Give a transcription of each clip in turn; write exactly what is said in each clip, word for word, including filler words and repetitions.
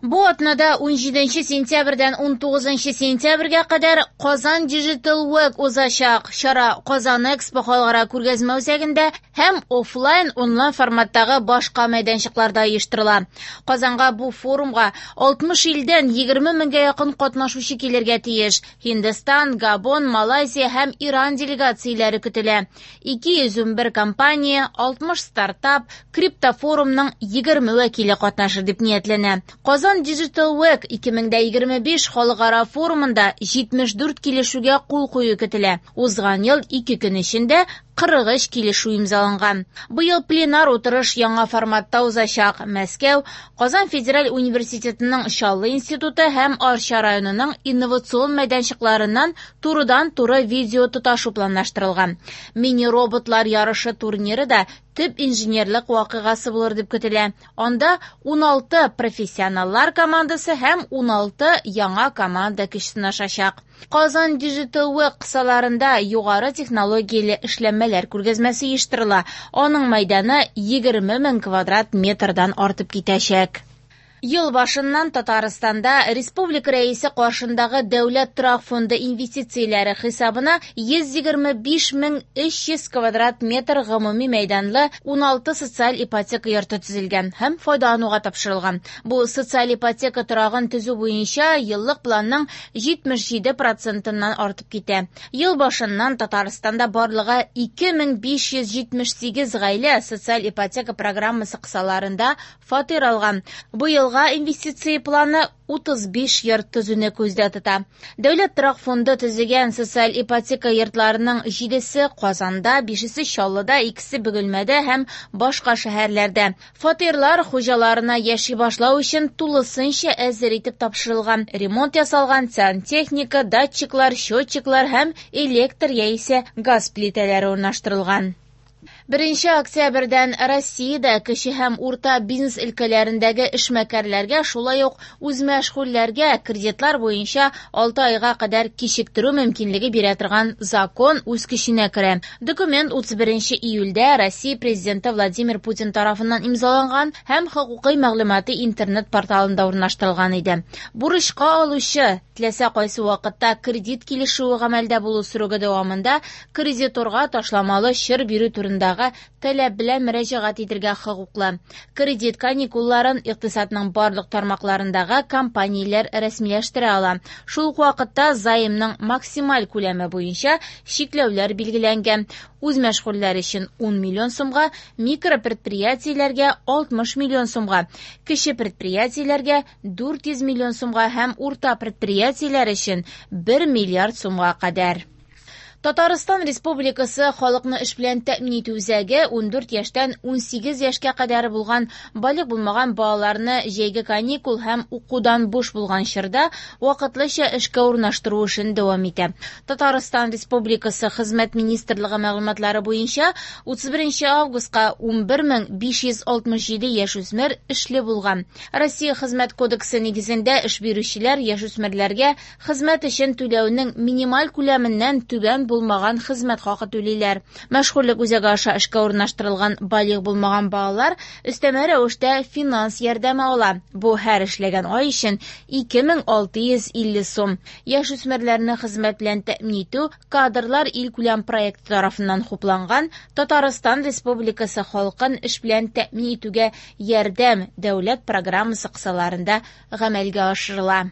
Бу атнада унҗиденче сентябрьдән унтугызынчы сентябрьгә кадәр Казан Digital Week узачак. Чара Казан Экспо халыкара күргәзмә үзәгендә һәм офлайн онлайн форматтагы башка мәйданчыкларда оештырыла. Казанга бу форумга алтмыш илдән егерме меңгә якын катнашучы килергә тиеш. Һиндстан, Габон, Малайзия һәм Иран делегацияләре көтелә. ике йөз унбер компания, алтмыш стартап, криптофорумның егерме вәкиле катнашыр дип ниятләнә. Казан Digital Week ике мең дә егерме биш халыкара форумында җитмеш дүрт килешүгә кул кую көтелә. Узган ел ике көн эчендә кырык өч килешү имзаланган. Быел пленар утырыш яңа форматта узачак. Мәскәү, Казан федераль университетының Чаллы институты һәм Арча районының инновацион мәйданчыкларыннан турыдан-туры видео тоташу планлаштырылган. Мини-роботлар ярышы турниры да төп инженерлык вакыйгасы булыр дип көтелә. Анда уналты профессионаллар командасы һәм уналты яңа команда көч сынашачак. Казан Digital Week кысаларында югары технологияле эшләнмәләр күргәзмәсе оештырыла. Аның мәйданы егерме мең квадрат метрдан артып китәчәк. Ел башыннан Татарстанда Республика Рәисе каршындагы Дәүләт торак фонды инвестицияләре хисабына йөз егерме биш мең өч йөз квадрат метр гомуми мәйданлы уналты социаль ипотека йорты төзелгән һәм файдалануга тапшырылган. Бу социаль ипотека торагын төзү буенча еллык планның җитмеш җиде процентыннан артып китә. Ел башыннан Татарстанда барлыгы ике мең биш йөз җитмеш сигез гаилә социаль ипотека программасы кысаларында фатир алган. Бу елга инвестиция планы утыз биш йорт төзүне күздә тота. Дәүләт торак фонды төзегән социаль ипотека йортларының җидесе Казанда, бишесе Чаллыда, икесе Бөгелмәдә һәм башка шәһәрләрдә. Фатирлар хуҗаларына яши башлау өчен тулысынча әзер итеп тапшырылган. Ремонт ясалган, сантехника, датчиклар, счетчиклар һәм электр яисә газ плитәләре урнаштырылган. Беренче октябрьдән Россиядә кече һәм урта бизнес өлкәләрендәге эшмәкәрләргә, шулай ук үзмәшгульләргә кредитлар буенча алты айга кадәр кичектерү мөмкинлеге бирә торган закон үз көченә керә. Документ утыз беренче июльдә Россия президенты Владимир Путин тарафыннан имзаланган һәм хокукый мәгълүматы интернет порталында урнаштырылган иде. Бурычка алучы теләсә кайсы вакытта кредит килешүе гамәлдә булу срогы дәвамында кредиторга ташламалы чор бирү турындагы таләп белән мөрәҗәгать итәргә хокуклы. Кредит каникулларын икътисадның барлык тармакларындагы компанияләр рәсмиләштерә ала. Шул ук вакытта займның максималь күләме буенча чикләүләр билгеләнгән. Үзмәшгульләр өчен ун миллион сумга, микропредприятиеләргә алтмыш миллион сумга, кече предприятиеләргә дүрт йөз миллион сумга һәм урта предприятиеләр өчен бер миллиард сумга кадәр. Татарстан Республикасы халыкны эш белән тәэмин итү үзәге ундүрт яшьтән унсигез яшькә кадәр булган балигъ булмаган балаларны җәйге каникул һәм укудан буш булган чорда вакытлыча эшкә урнаштыру эшен дәвам итә. Татарстан Республикасы Хезмәт министрлыгы мәгълүматлары буенча утыз беренче августка унбер мең биш йөз алтмыш җиде яшүсмер эшле булган. Россия Хезмәт кодексы нигезендә эш бирүчеләр яшүсмерләргә хезмәт өчен түләүнең минималь күләменнән түбән булмаган хезмәт хакы түлиләр. Мәшгульлек үзәге аша эшкә урнаштырылган балигъ булмаган балалар өстәмә рәвештә финанс ярдәме ала. Бу һәр эшләгән ай өчен ике мең алты йөз илле сум. Яшүсмерләрне хезмәт белән тәэмин итү кадрлар илкүләм проекты тарафыннан хупланган Татарстан Республикасы халкын эш белән тәэмин итүгә ярдәм дәүләт программасы кысаларында гамәлгә ашырыла.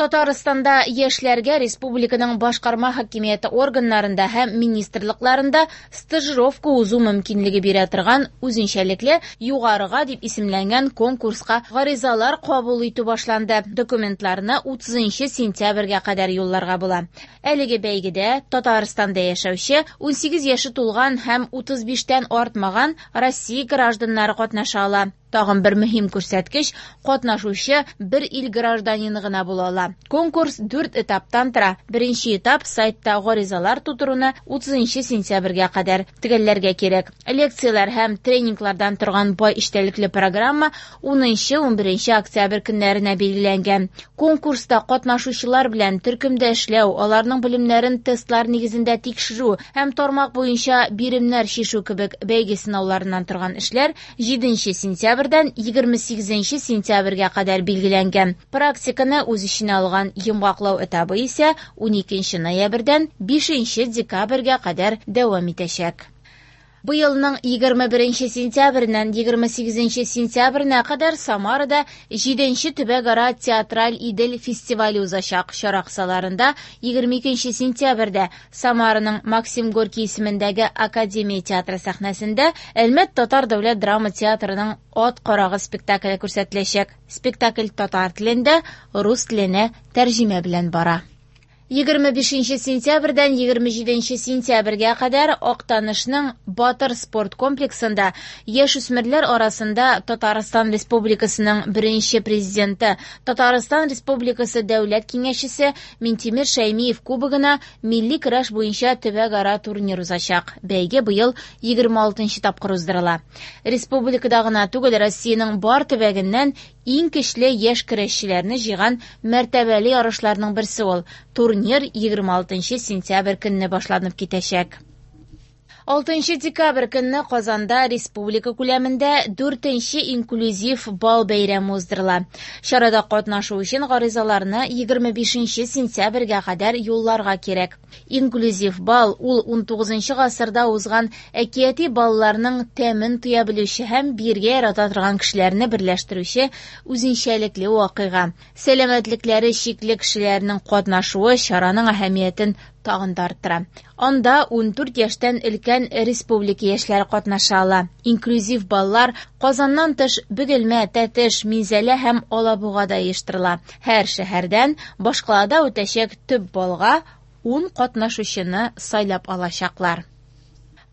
Татарстанда яшьләргә республиканың башкарма хакимияте органнарында һәм министрлыкларында стажировка узу мөмкинлеге бирә торган үзенчәлекле югарыга дип исемләнгән конкурска гаризалар кабул итү башланды. Документларны утызынчы сентябрьгә кадәр юлларга була. Әлеге бәйгедә Татарстанда яшәүче унсигез яше тулган һәм утыз биштән артмаган Россия гражданнары катнаша ала. Тагын бер мөһим күрсәткеч, катнашучы бер ил гражданины гына була ала. Конкурс дүрт этаптан тора. Беренче этап сайтта гаризалар тутыруны утызынчы сентябрьгә кадәр төгәлләргә кирәк. Лекцияләр һәм тренинглардан торган бай эчтәлекле программа унынчы, унберенче октябрь көннәренә билгеләнгән. Конкурста катнашучылар белән төркемдә эшләү, аларның белемнәрен тестлар нигезендә тикшерү һәм тармак буенча биремнәр чишү кебек бәйге сынауларыннан торган эшләр җиденче сентябрь сентябрьдән егерме сигезенче сентябрьгә кадәр билгеләнгән. Практиканы үз эченә алган йомгаклау этабы исә уникенче ноябрьдән бишенче декабрьгә кадәр дәвам итәчәк. Быелның егерме беренче сентябреннән егерме сигезенче сентябренә кадәр Самарада җиденче төбәкара театраль Идел фестивале узачак. Чара кысаларында егерме икенче сентябрьдә Самараның Максим Горький исемендәге Академия театры сәхнәсендә Әлмәт татар дәүләт драма театрының Ат карагы спектакле күрсәтеләчәк. Спектакль татар телендә, рус теленә тәрҗемә белән бара. Егерме бишенче сентябрьдән егерме җиденче сентябрьгә кадәр Актанышның Батыр спорт комплексында яшүсмерләр арасында Татарстан Республикасының беренче президенты, Татарстан Республикасы Дәүләт Киңәшчесе Минтимер Шәймиев кубогына милли көрәш буенча төбәкара турнир узачак. Бәйге быел егерме алтынчы тапкыр уздырыла. Республикада гына түгел, Россиянең бар төбәгеннән иң көчле яшь көрәшчеләрне җыйган мәртәбәле ярышларның берсе ул. Турнир егерме алтынчы сентябрь көнне башланып китәчәк. Алтынчы декабрь көнне Казанда республика күләмендә дүртенче инклюзив бал бәйрәме уздырыла. Чарада катнашу өчен гаризаларны егерме бишенче сентябрьгә кадәр юлларга кирәк. Инклюзив бал ул унтугызынчы гасырда узган әкияти балларның тәмен тоя белүче һәм биргә ярата торган кешеләрне берләштерүче үзенчәлекле вакыйга. Сәламәтлекләре чикле кешеләрнең катнашуы чараның әһәмиятен тагын да арттыра. Анда ундүрт яшьтән өлкән республика яшьләре катнаша ала. Инклюзив баллар Казаннан тыш Бөгелмә, Тәтеш, Минзәлә һәм Алабугада оештырыла. Һәр шәһәрдән башкалада үтәчәк төп балга ун катнашучыны сайлап алачаклар.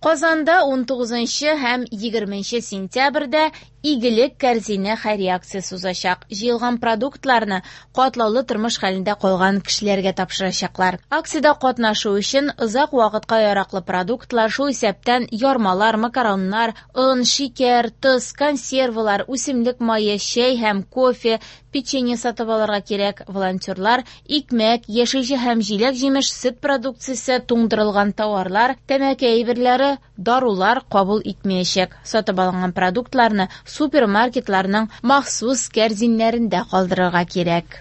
Казанда унтугызынчы һәм егерменче сентябрьдә Игелек кәрзине хәйрия акциясе узачак. Җыелган продуктларны катлаулы тормыш хәлендә калган кешеләргә тапшырачаклар. Акциядә катнашу өчен озак вакытка яраклы продуктлар, шул исәптән ярмалар, макароннар, он, шикәр, тоз, консервалар, үсемлек мае, чәй һәм кофе, печенье сатып алырга кирәк. Волонтерлар икмәк, яшелчә һәм җиләк-җимеш, сөт продукциясе, туңдырылган тауарлар, тәмәке әйберләре, дарулар кабул итмәячәк. Сатып алынган продуктларны супермаркетларның махсус кәрзиннәрендә калдырырга кирәк.